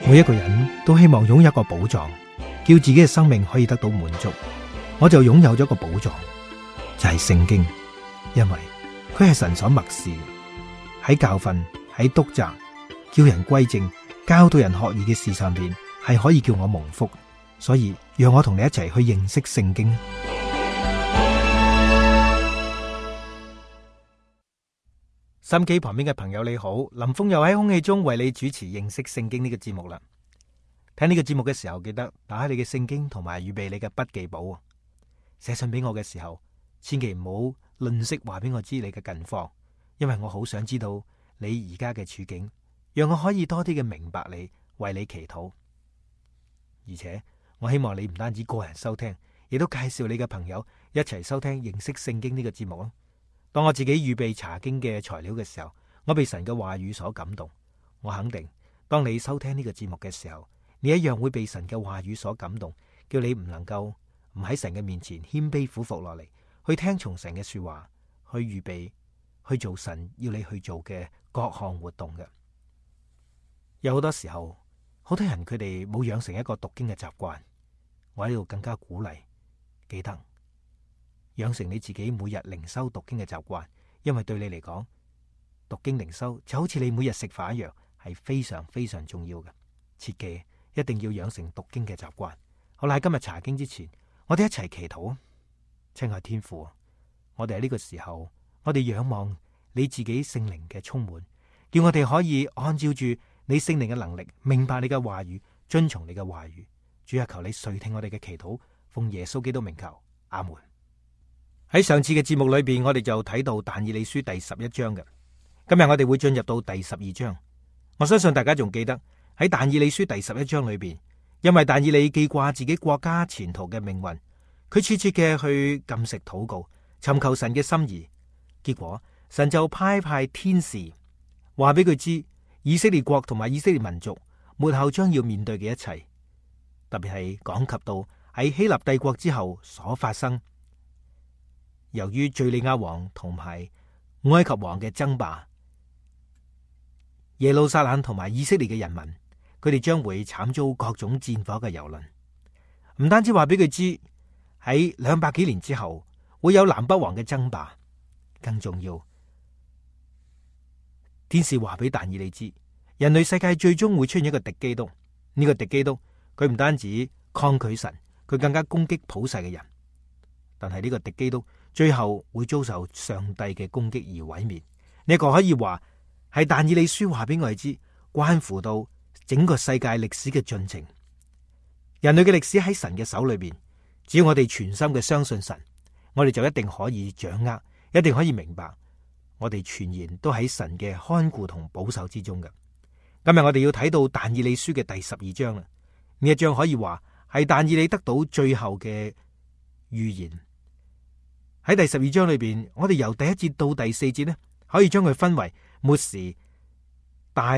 每一個人都希望擁有一個寶藏，叫自己嘅生命可以得到滿足。我就擁有咗個寶藏，就係聖經，因為佢係神所默示，喺教訓、喺督責、叫人歸正、教導人學義嘅事上邊，係可以叫我蒙福。所以讓我同你一齊去認識聖經。心機旁邊嘅朋友你好，林峰又喺空氣中為你主持認識聖經呢個節目啦。聽呢個節目嘅時候，記得打開你嘅聖經同埋預備你嘅筆記簿。寫信俾我嘅時候，千祈唔好吝嗇話俾我知你嘅近況，因為我好想知道你而家嘅處境，讓我可以多啲嘅明白你，為你祈禱。而且我希望你唔單止個人收聽，亦都介紹你嘅朋友一齊收聽認識聖經呢個節目咯。當我自己預備查經嘅材料嘅時候，我被神嘅話語所感動。我肯定，當你收聽呢個節目嘅時候，你一樣會被神嘅話語所感動，叫你唔能夠唔喺神嘅面前謙卑俯伏落嚟，去聽從神嘅說話，去預備去做神要你去做嘅各項活動嘅。有好多時候，好多人佢哋冇養成一個讀經嘅習慣，我喺度更加鼓勵，記得養成你自己每日靈修讀經嘅習慣，因為對你嚟講，讀經靈修就好似你每日食飯一樣，係非常非常重要嘅。切記一定要養成讀經嘅習慣。好啦，喺今日查經之前，我哋一齊祈禱。親愛天父，我哋喺呢個時候，我哋仰望你自己聖靈嘅充滿，叫我哋可以按照住你聖靈嘅能力，明白你嘅話語，遵從你嘅話語。主啊，求你垂聽我哋嘅祈禱，奉耶穌基督名求，阿門。喺上次嘅節目裏邊，我哋就睇到但以理書第11章嘅。今日我哋會進入到第12章。我相信大家仲記得喺但以理書第11章裏邊，因為但以理記掛自己國家前途嘅命運，佢切切嘅去禁食禱告，尋求神嘅心意。結果神就派天使話俾佢知，以色列國同埋以色列民族末後將要面對嘅一切，特別係講及到喺希臘帝國之後所發生，由於敘利亞王同埋埃及王嘅爭霸，耶路撒冷同埋以色列嘅人民，佢哋將會慘遭各種戰火嘅蹂躪。唔單止話俾佢知喺200幾年之後會有南北王嘅爭霸，更重要，天使話俾但以理知，人類世界最終會出現一個敵基督。呢個敵基督，佢唔單止抗拒神，佢更加攻擊普世嘅人。但係呢個敵基督最後會遭受上帝嘅攻擊而毀滅。呢個可以話係但以理書話俾我哋知，關乎到整個世界歷史嘅進程。人類嘅歷史喺神嘅手裏邊，只要我哋全心嘅相信神，我哋就一定可以掌握，一定可以明白，我哋全然都喺神嘅看顧同保守之中嘅。今日我哋要睇到但以理書嘅第12章啦。呢一章可以話係但以理得到最後嘅預言。喺第12章裏邊，我哋由第1節到第4節呢，可以將佢分為末時、大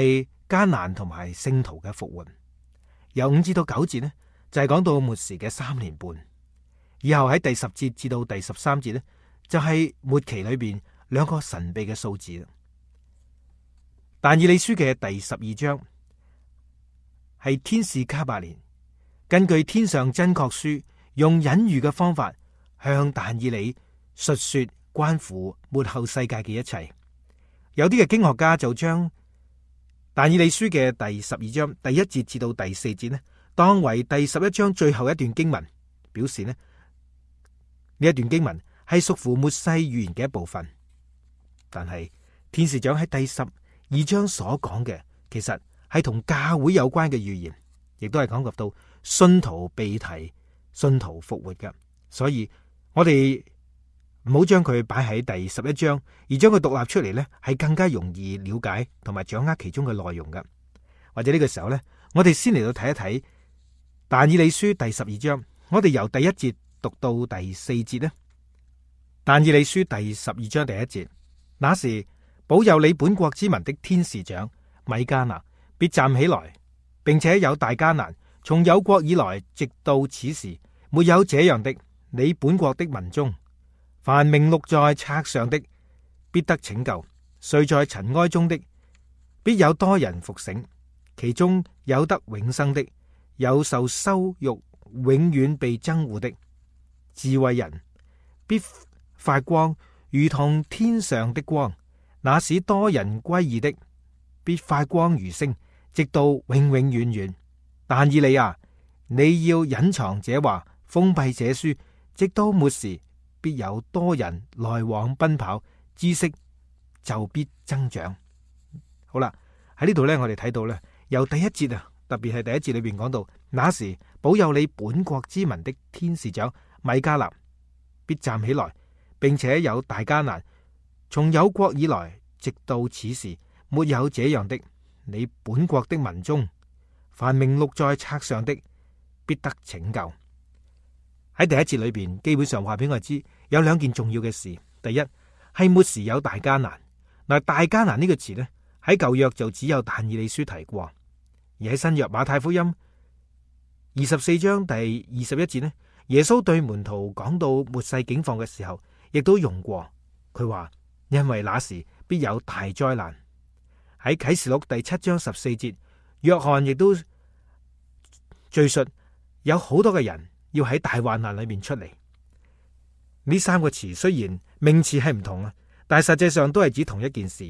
艱難同埋聖徒嘅復活。由5節到9節呢，就係講到末時嘅3年半。以後喺第10節至到第13節呢，就係末期裏邊2個神秘嘅數字。但以理書嘅第12章係天使加百列根據天上真確書，用隱喻嘅方法向但以理述說關乎末後世界嘅一切。有啲嘅經學家就將但以理書嘅第12章第1節至到第4節呢，當為第11章最後一段經文，表示呢一段經文係屬乎末世預言嘅一部分。但係天使長喺第12章所講嘅，其實係同教會有關嘅預言，亦都係講及到信徒被提、信徒復活嘅。所以我哋唔好將佢擺喺第11章，而將佢獨立出嚟呢，係更加容易了解同埋掌握其中嘅內容嘅。或者呢個時候呢，我哋先嚟到睇一睇但以理書第12章，我哋由第1節讀到第4節呢。但以理書第12章第1節，那時保佑你本國之民的天使長米迦勒必站起來，並且有大艱難，從有國以來直到此時，沒有這樣的。你本國的民中，凡名錄在冊上的，必得拯救；睡在塵埃中的，必有多人復醒。其中有得永生的，有受羞辱永遠被憎惡的。智慧人必發光，如同天上的光，那使多人歸義的，必發光如星，直到永永遠遠。但以理啊，你要隱藏這話，封閉這書，直到末時，必有多人來往奔跑，知識就必增長。好啦，喺呢度呢，我哋睇到呢，由第一節啊，特別係第一節裏邊講到，那時保佑你本國之民的天使長米迦勒必站起來，並且有大艱難，從有國以來直到此時，沒有這樣的。你本國的民中，凡名錄在冊上的，必得拯救。喺第一節裏邊，基本上話俾我知有兩件重要嘅事。第一係末時有大艱難。嗱，大艱難呢個詞呢，喺舊約就只有但以理書提過，而喺新約馬太福音24章第21節呢，耶穌對門徒講到末世境況嘅時候，亦都用過。佢話因為那時必有大災難。喺啟示錄第7章14節，約翰亦都敘述有好多嘅人要喺大患難裏面出嚟。呢三個詞雖然名詞係唔同啊，但係實際上都係指同一件事，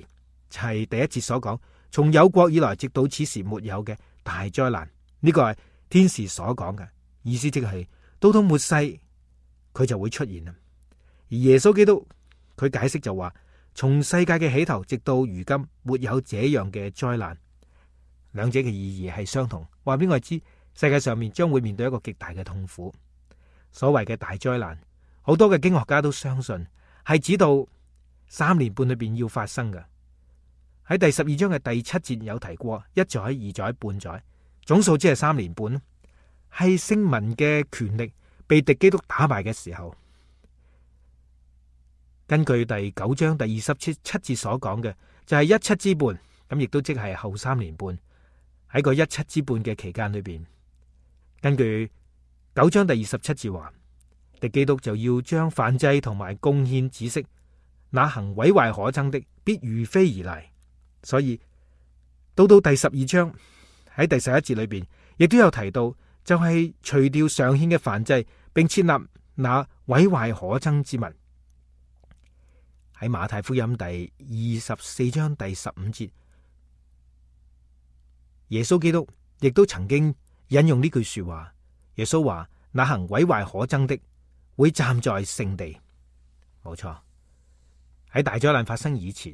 就係第一節所講，從有國以來直到此時沒有嘅大災難。呢個係天使所講嘅意思，即係到末世佢就會出現啦。而耶穌基督佢解釋就話，從世界嘅起頭直到如今，沒有這樣嘅災難。兩者嘅意義係相同，話俾我知世界上面將會面對一個極大嘅痛苦。所謂嘅大災難，好多嘅經學家都相信係指到3年半裏邊要發生嘅。喺第12章嘅第7節有提過1載、2載、半載，總數只係3年半，係聖民嘅權力被敵基督打敗嘅時候。根據第9章第27節所講嘅，就係17之半，咁亦都即係後3年半。喺個17之半嘅期間裏邊，根據9章第27節話，敵基督就要將燔祭同埋貢獻止息，那行毀壞可憎的必如飛而嚟。所以到第12章喺第11節裏邊，亦都有提到，就係除掉常獻嘅燔祭，並設立那毀壞可憎之物。喺馬太福音第24章第15節，耶穌基督亦都曾經引用呢句說話。耶穌話：那行毀壞可憎的會站在聖地。冇錯，喺大災難發生以前，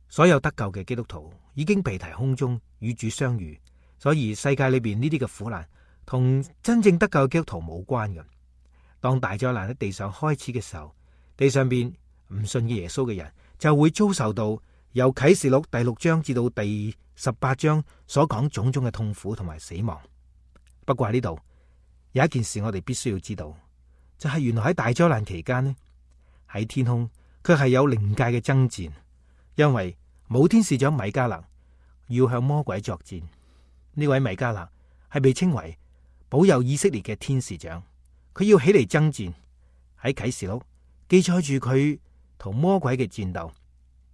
所有得救嘅基督徒已經被提空中與主相遇，所以世界裏邊呢啲嘅苦難同真正得救嘅基督徒冇關嘅。當大災難喺地上開始嘅時候，地上邊唔信嘅耶穌嘅人就會遭受到由啟示錄第6章至到第18章所講種種嘅痛苦同埋死亡。不過喺呢度有一件事我哋必須要知道，就係原來喺大災難期間呢，喺天空卻係有靈界嘅爭戰，因為冇天使長米迦勒要向魔鬼作戰。呢位米迦勒係被稱為保佑以色列嘅天使長，佢要起嚟爭戰。喺啟示錄記載住佢同魔鬼嘅戰鬥。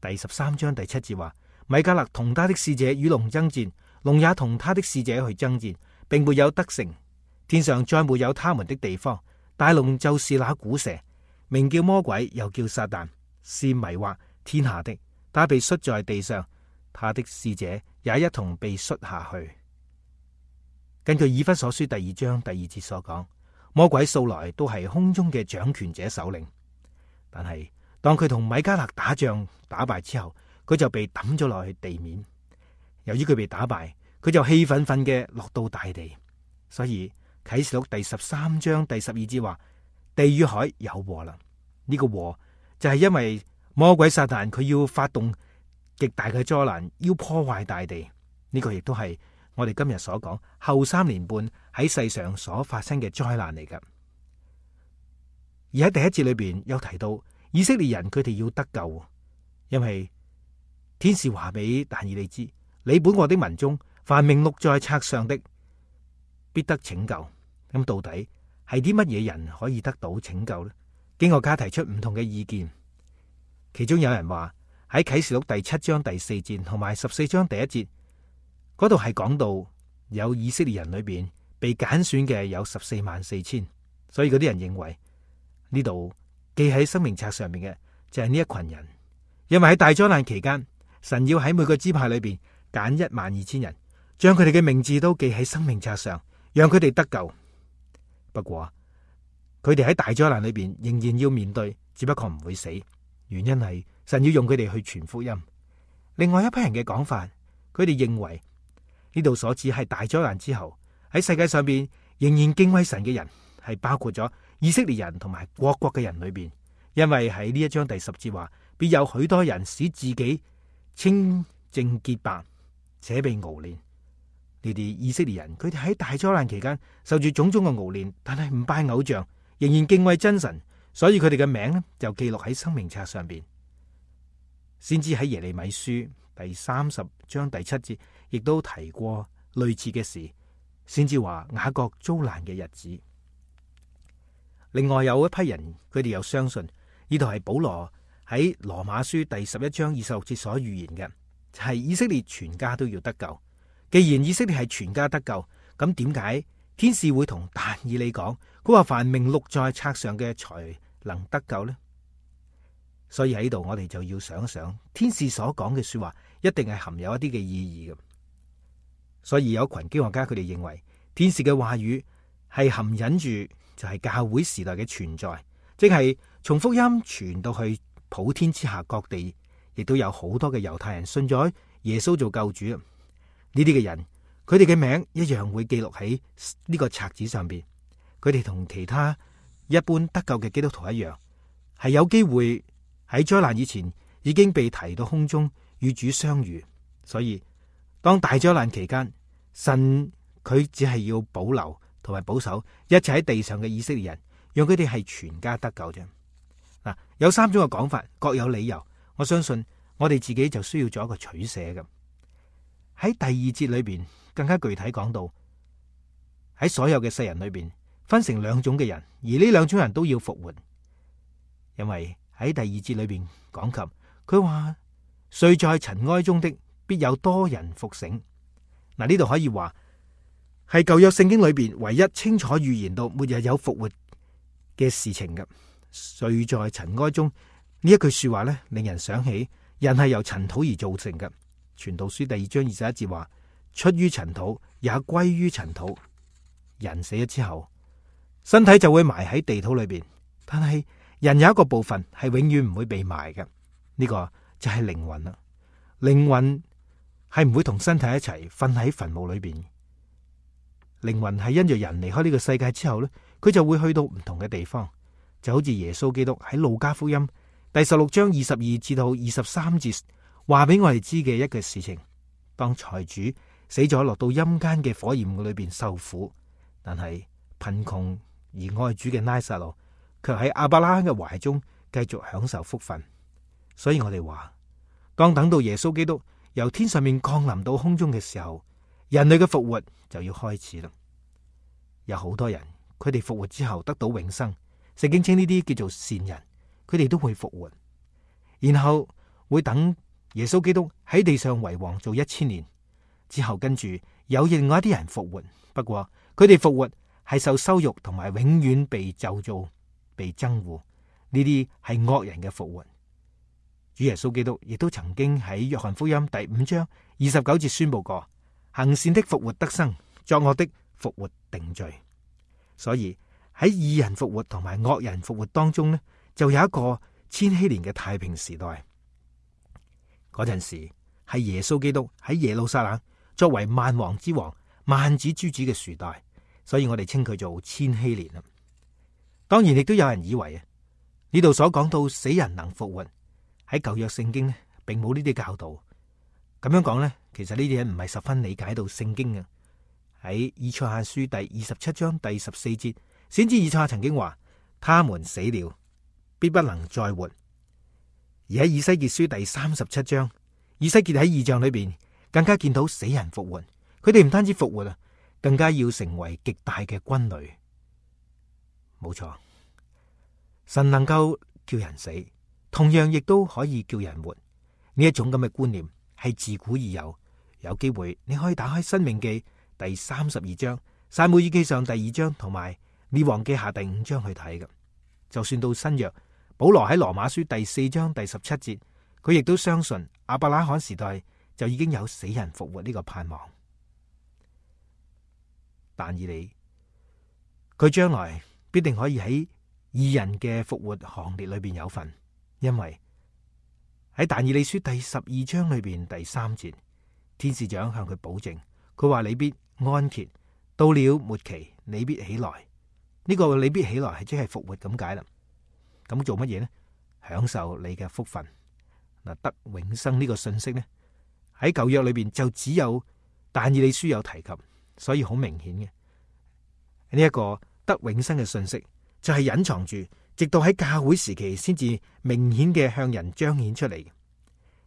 第13章第7節話，米迦勒同他的使者與龍爭戰，龍也同他的使者去爭戰，並沒有得勝。天上再沒有他們的地方。大龍就是那古蛇，名叫魔鬼，又叫撒旦，是迷惑天下的。他被摔在地上，他的使者也一同被摔下去。根據以弗所書第2章第2節所講，魔鬼素來都係空中嘅掌權者首領，但係當佢同米迦勒打仗打敗之後，佢就被抌咗落去地面。由於佢被打敗，佢就氣憤憤嘅落到大地。所以啟示錄第13章第12節話，地與海有禍啦。呢個禍就係因為魔鬼撒旦佢要發動極大嘅災難，要破壞大地。呢個亦都係我哋今日所講後3年半喺世上所發生嘅災難嚟噶。而喺第一節裏邊有提到以色列人佢哋要得救，因為天使話俾但以理知，你本國的民中凡名錄在冊上的必得拯救。咁到底係啲乜嘢人可以得到拯救呢？經學家提出唔同嘅意見，其中有人話喺啟示錄第7章第4節同埋14章第1節嗰度係講到有以色列人裏邊被揀選嘅有144000，所以嗰啲人認為呢度記喺生命冊上面嘅就係呢一群人，因為喺大災難期間，神要喺每個支派裏邊揀12000人，將佢哋嘅名字都記喺生命冊上，讓佢哋得救。不過佢哋喺大災難裏邊仍然要面對，只不過唔會死，原因係神要用佢哋去傳福音。另外一批人嘅講法，佢哋認為呢度所指係大災難之後喺世界上邊仍然敬畏神嘅人，係包括咗以色列人同埋各國嘅人裏邊，因為喺呢一章第10節話，必有許多人使自己清淨潔白，且被熬煉。呢啲以色列人，佢哋喺大災難期間受住種種嘅熬煉，但係唔拜偶像，仍然敬畏真神，所以佢哋嘅名呢就記錄喺生命冊上邊。先知喺耶利米書第30章第7節，亦都提過類似嘅事。先知話雅各遭難嘅日子。另外有一批人，佢哋又相信呢度係保羅喺羅馬書第11章26節所預言嘅，就係以色列全家都要得救。既然以色列係全家得救，咁點解天使會同但以理講，佢話凡名錄在冊上嘅才能得救呢？所以喺呢度我哋就要想一想，天使所講嘅說話一定係含有一啲嘅意義嘅。所以有一群經學家佢哋認為，天使嘅話語係含隱住就係教會時代嘅存在，即係從福音傳到去普天之下各地，亦都有好多嘅猶太人信咗耶穌做救主。呢啲嘅人，佢哋嘅名一樣會記錄喺呢個冊子上邊。佢哋同其他一般得救嘅基督徒一樣，係有機會喺災難以前已經被提到空中與主相遇。所以當大災難期間，神佢只係要保留同埋保守一切喺地上嘅以色列人，讓佢哋係全家得救啫。嗱，有3種嘅講法，各有理由。我相信我哋自己就需要做一個取捨嘅。喺第2節裏邊更加具體講到，喺所有嘅世人裏邊分成2種嘅人，而呢2種人都要復活。因為喺第2節裏邊講及，佢話睡在塵埃中的必有多人復醒。嗱，呢度可以話係舊約聖經裏邊唯一清楚預言到末日有復活嘅事情嘅。睡在塵埃中呢一句說話咧，令人想起人係由塵土而造成嘅。傳道書第2章21節話，出於塵土，也歸於塵土。人死咗之後，身體就會埋喺地土裏邊，但係人有一個部分係永遠唔會被埋嘅，呢個就係靈魂啦。靈魂係唔會同身體一齊瞓喺墳墓裏邊。靈魂係因着人離開呢個世界之後呢，佢就會去到唔同嘅地方，就好似耶穌基督喺路加福音第16章22至到23節話俾我哋知嘅一個事情。當財主死咗落到陰間嘅火焰裏邊受苦，但係貧窮而愛主嘅拉撒路卻喺亞伯拉罕嘅懷中繼續享受福分。所以我哋話，當等到耶穌基督由天上面降臨到空中嘅時候，人類嘅復活就要開始啦。有好多人，佢哋復活之後得到永生，聖經稱呢啲叫做善人，佢哋都會復活，然後會等耶穌基督喺地上為王做1000年之後，跟住有另外一啲人復活。不過佢哋復活係受羞辱同埋永遠被咒詛、被憎惡，呢啲係惡人嘅復活。主耶穌基督亦都曾經喺約翰福音第5章29節宣布過，行善的復活得生，作惡的復活定罪。所以喺義人復活同埋惡人復活當中呢，就有一個千禧年嘅太平時代。嗰陣時係耶穌基督喺耶路撒冷作為萬王之王、萬子之子嘅時代，所以我哋稱佢做千禧年啦。當然亦都有人以為啊，呢度所講到死人能復活，喺舊約聖經呢並冇呢啲教導。咁樣講呢，其實呢啲人唔係十分理解到聖經嘅。喺以賽亞書第27章第14節，先知以賽亞曾經話：他們死了，必不能再活。而喺以西結書第37章，以西結喺異象裏邊更加見到死人復活。佢哋唔單止復活啊，更加要成為極大嘅軍旅。冇錯，神能夠叫人死，同樣亦都可以叫人活。呢一種咁嘅觀念係自古已有，有機會你可以打開《申命記》第32章、撒母耳記上第2章同埋列王記下第5章去睇嘅。就算到新約，保羅喺羅馬書第4章第17節，佢亦都相信亞伯拉罕時代就已經有死人復活呢個盼望。但以理佢將來必定可以喺義人嘅復活行列裏邊有份，因為喺但以理書第12章裏邊第3節，天使長向佢保證，佢話你必安歇，到了末期你必起來。呢個你必起來係即係復活咁解啦。咁做乜嘢呢？享受你嘅福分嗱，得永生呢個信息呢，喺舊約裏邊就只有但以理書有提及，所以好明顯嘅呢一個得永生嘅信息就係隱藏住，直到喺教會時期先至明顯嘅向人彰顯出嚟。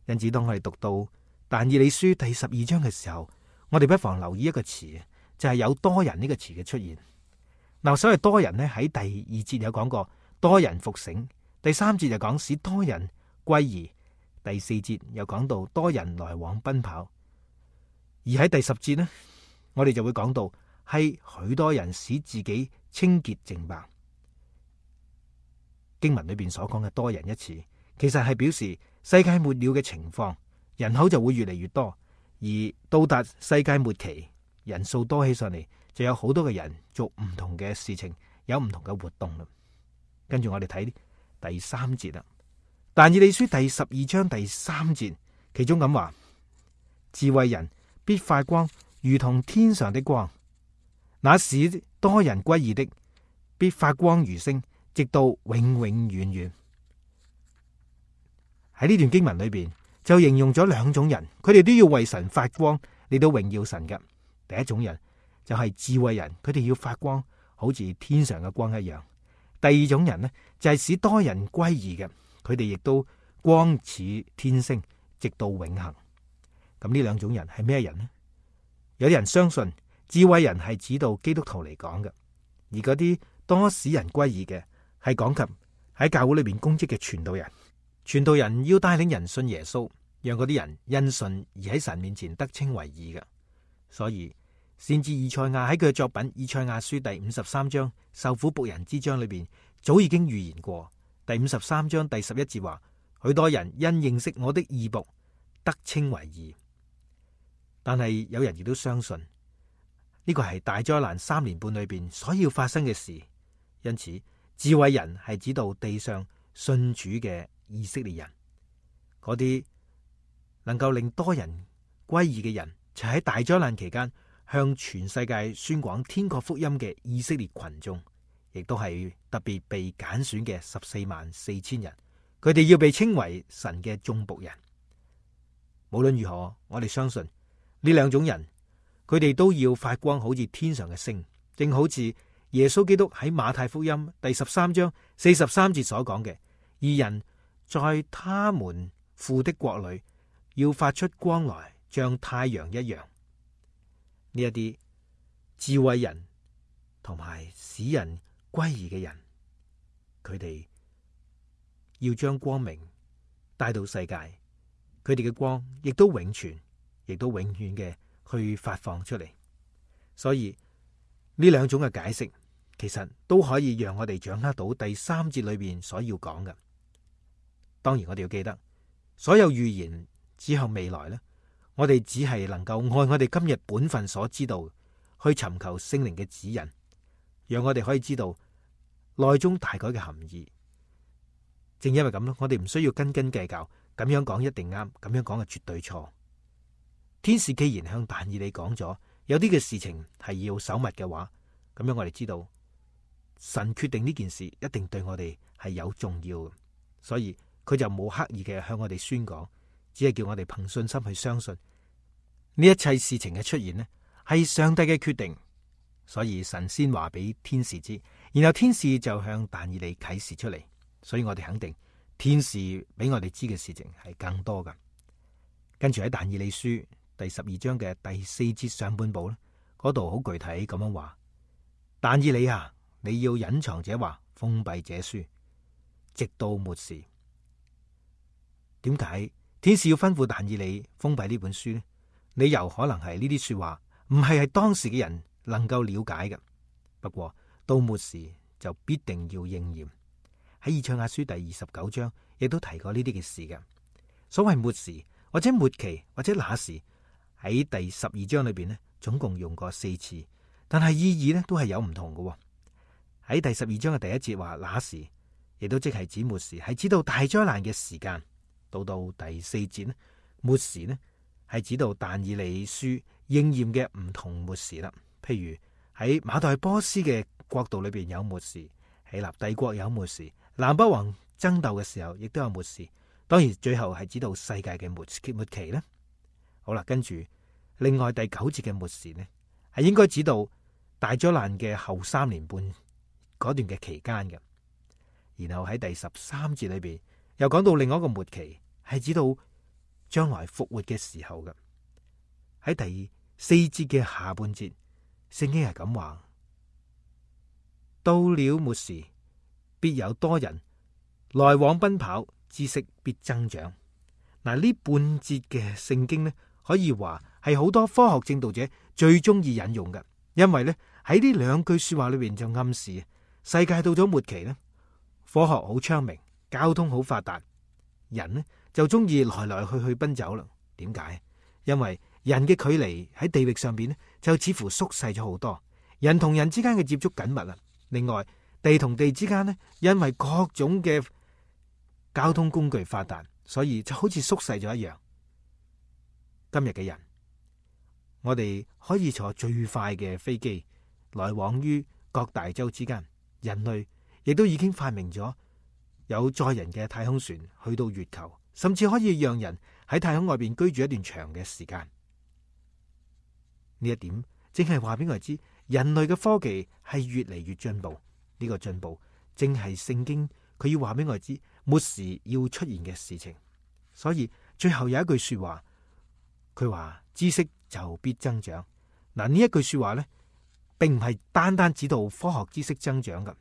因此當我哋讀到但以理書第12章嘅時候，我哋不妨留意一個詞，就係有多人呢個詞嘅出現。嗱，所謂多人呢，喺第2節有講過多人復醒，第3節就講使多人歸義，第4節又講到多人來往奔跑，而喺第10節呢，我哋就會講到係許多人使自己清潔淨白。經文裏邊所講嘅多人一詞，其實係表示世界末了嘅情況，人口就會越嚟越多，而到達世界末期，人數多起上嚟，就有好多嘅人做唔同嘅事情，有唔同嘅活動啦。跟住我哋睇第3節啦，但以理書第12章第3節，其中咁話：智慧人必發光，如同天上的光；那使多人歸義的，必發光如星，直到永永遠遠。喺呢段經文裏邊就形容咗兩種人，佢哋都要為神發光嚟到榮耀神嘅。第一種人就係智慧人，佢哋要發光，好似天上嘅光一樣。第二種人呢，就係使多人歸義嘅，佢哋亦都光似天星，直到永恆。咁呢兩種人係咩人呢？有啲人相信智慧人係指到基督徒嚟講嘅，而嗰啲多使人歸義嘅係講及喺教會裏邊公職嘅傳道人。傳道人要帶領人信耶穌，讓嗰啲人因信而喺神面前得稱為義嘅。所以先知以賽亞喺佢嘅作品《以賽亞書》第53章受苦僕人之章裏邊，早已經預言過。第53章第11節話：許多人因認識我的義僕，得稱為義。但係有人亦都相信呢個係大災難3年半裏邊所要發生嘅事。因此，智慧人係指到地上信主嘅以色列人，嗰啲能夠令多人歸義嘅人，就喺大災難期間向全世界宣講天國福音嘅以色列群眾，亦都係特別被揀選嘅144000人。佢哋要被稱為神嘅眾僕人。無論如何，我哋相信呢兩種人，佢哋都要發光，好似天上嘅星，正好似耶穌基督喺馬太福音第13章43節所講嘅：義人在他們父的國裏要發出光來，像太陽一樣。呢一啲智慧人同埋使人歸義嘅人，佢哋要將光明帶到世界，佢哋嘅光亦都永存，亦都永遠嘅去發放出嚟。所以呢兩種嘅解釋，其實都可以讓我哋掌握到第3節裏邊所要講嘅。當然我哋要記得，所有預言指向未來呢，我哋只係能夠按我哋今日本分所知道去尋求聖靈嘅指引，讓我哋可以知道內中大概嘅含義。正因為咁咯，我哋唔需要斤斤計較，咁樣講一定啱，咁樣講係絕對錯。天使既然向但以理講咗有啲嘅事情係要守密嘅話，咁樣我哋知道神決定呢件事一定對我哋係有重要嘅，所以佢就冇刻意嘅向我哋宣講，只係叫我哋憑信心去相信呢一切事情嘅出現呢係上帝嘅決定。所以神先話俾天使知，然後天使就向但以理啟示出嚟。所以我哋肯定天使俾我哋知嘅事情係更多噶。跟住喺但以理書第12章嘅第4節上半部咧，嗰度好具體咁樣話：但以理啊，你要隱藏這話，封閉這書，直到末時。點解天使要吩咐但以理封閉呢本書呢？理由可能係呢啲說話唔係當時嘅人能夠了解嘅。不過到末時就必定要應驗。喺以賽亞書第29章亦都提過呢啲嘅事嘅。所謂末時或者末期或者那時，喺第12章裏邊呢，總共用過4次，但係意義呢都係有唔同嘅。喺第12章嘅第1節話那時，亦都即係指末時，係指到大災難嘅時間。到第4節呢，末時呢係指到但以理書應驗嘅唔同末時啦。譬如喺馬代波斯嘅國度裏邊有末時，希臘帝國有末時，南北王爭鬥嘅時候亦都有末時。當然最後係指到世界嘅末期呢。好啦，跟住另外第9節嘅末時呢，係應該指到大災難嘅後3年半嗰段嘅期間嘅。然後喺第13節裏邊又講到另外一個末期，係指到將來復活嘅時候嘅。喺第4節嘅下半節，聖經係咁話：到了末時，必有多人來往奔跑，知識必增長。嗱，呢半節嘅聖經呢，可以話係好多科學正道者最中意引用嘅，因為呢喺呢兩句說話裏邊就暗示世界到咗末期呢，科學好昌明，交通好發達，人呢就中意來來去去奔走啦。點解？因為人嘅距離喺地域上邊呢，就似乎縮細咗好多，人同人之間嘅接觸緊密啦。另外，地同地之間呢，因為各種嘅交通工具發達，所以就好似縮細咗一樣。今日嘅人，我哋可以坐最快嘅飛機來往於各大洲之間，人類亦都已經發明咗有載人嘅太空船去到月球，甚至可以讓人喺太空外邊居住一段長嘅時間。呢一點正係話俾我哋知，人類嘅科技係越嚟越進步。呢個進步正係聖經佢要話俾我哋知末時要出現嘅事情。所以最後有一句說話，佢話知識就必增長。嗱，呢一句說話呢，並唔係單單指到科學知識增長噶。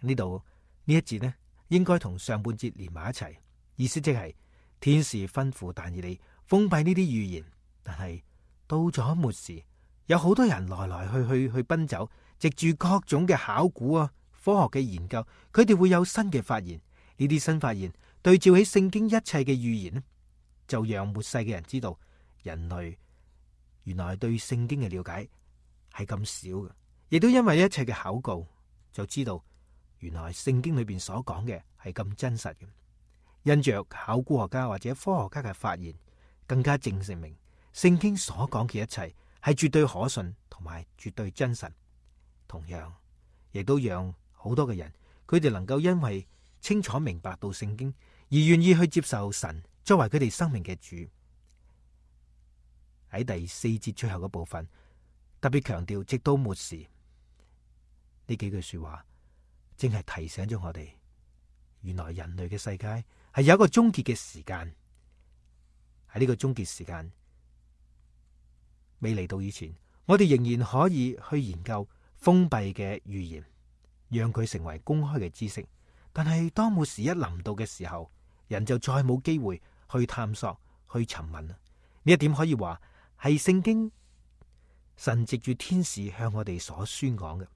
呢度呢一節呢，應該同上半節連埋一齊，意思即係天使吩咐但以理封閉呢啲預言，但係到咗末時，有好多人來來去奔走，藉住各種嘅考古啊、科學嘅研究，佢哋會有新嘅發現。呢啲新發現對照起聖經一切嘅預言呢，就讓末世嘅人知道，人類原來對聖經嘅了解係咁少嘅，亦都因為一切嘅考究，就知道原來聖經裏邊所講嘅係咁真實嘅。因着考古學家或者科學家嘅發現，更加證明聖經所講嘅一切係絕對可信同埋絕對真實。同樣，亦都讓好多嘅人，佢哋能夠因為清楚明白到聖經，而願意去接受神作為佢哋生命嘅主。喺第4節最後嘅部分，特別強調直到末時，呢幾句說話，正係提醒咗我哋，原來人類嘅世界係有一個終結嘅時間。喺呢個終結時間未嚟到以前，我哋仍然可以去研究封閉嘅預言，讓佢成為公開嘅知識。但係當末時一臨到嘅時候，人就再冇機會去探索、去尋問啦。呢一點可以話係聖經神藉住天使向我哋所宣講嘅。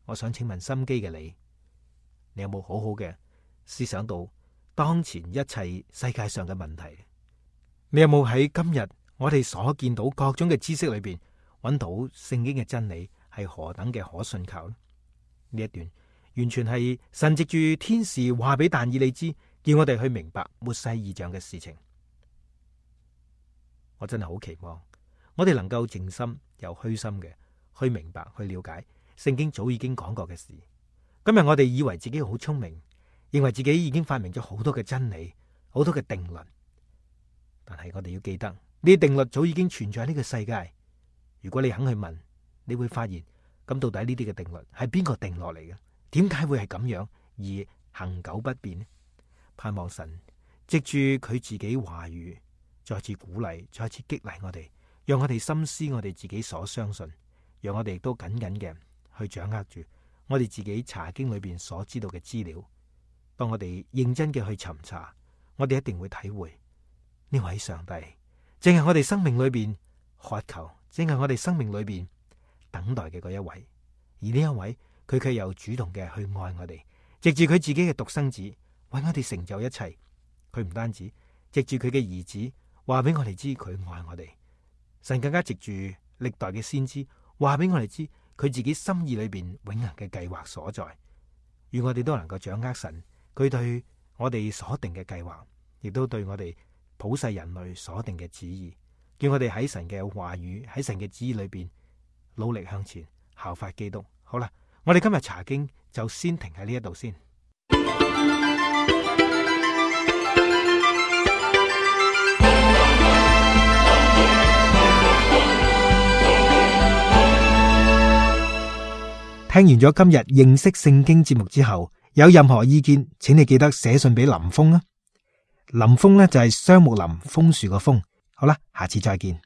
我想請問心機嘅你有冇好好嘅思想到當前一切世界上嘅問題？你有冇喺今日我哋所見到各種嘅知識裏邊揾到聖經嘅真理係何等嘅可信靠呢？呢一段完全係神藉住天使話俾但以理知，叫我哋去明白末世異象嘅事情。我真係好期望我哋能夠靜心又虛心嘅去明白、去了解聖經早已經講過嘅事。今日我哋以為自己好聰明，認為自己已經發明咗好多嘅真理、好多嘅定律，但係我哋要記得，呢啲定律早已經存在喺呢個世界。如果你肯去問，你會發現，咁到底呢啲嘅定律係邊個定落嚟嘅？點解會係咁樣而恆久不變呢？盼望神藉住佢自己話語，再次鼓勵、再次激勵我哋，讓我哋深思我哋自己所相信，讓我哋亦都緊緊嘅去掌握住我哋自己查經裏邊所知道嘅資料。當我哋認真嘅去尋查，我哋一定會體會呢位上帝正係我哋生命裏邊渴求，正係我哋生命裏邊等待嘅嗰一位。而呢一位，佢卻又主動嘅去愛我哋，藉住佢自己嘅獨生子為我哋成就一切。佢唔單止藉住佢嘅兒子話俾我哋知佢愛我哋，神更加藉住歷代嘅先知話俾我哋知佢自己心意裏邊永恆嘅計劃所在。願我哋都能夠掌握神佢對我哋所定嘅計劃，亦都對我哋普世人類所定嘅旨意。叫我哋喺神嘅話語，喺神嘅旨意裏邊努力向前，效法基督。好啦，我哋今日查經就先停喺呢一度先。聽完咗今日認識聖經節目之後，有任何意見，請你記得寫信俾林峰啊。林峰呢就係雙木林楓樹個楓。好啦，下次再見。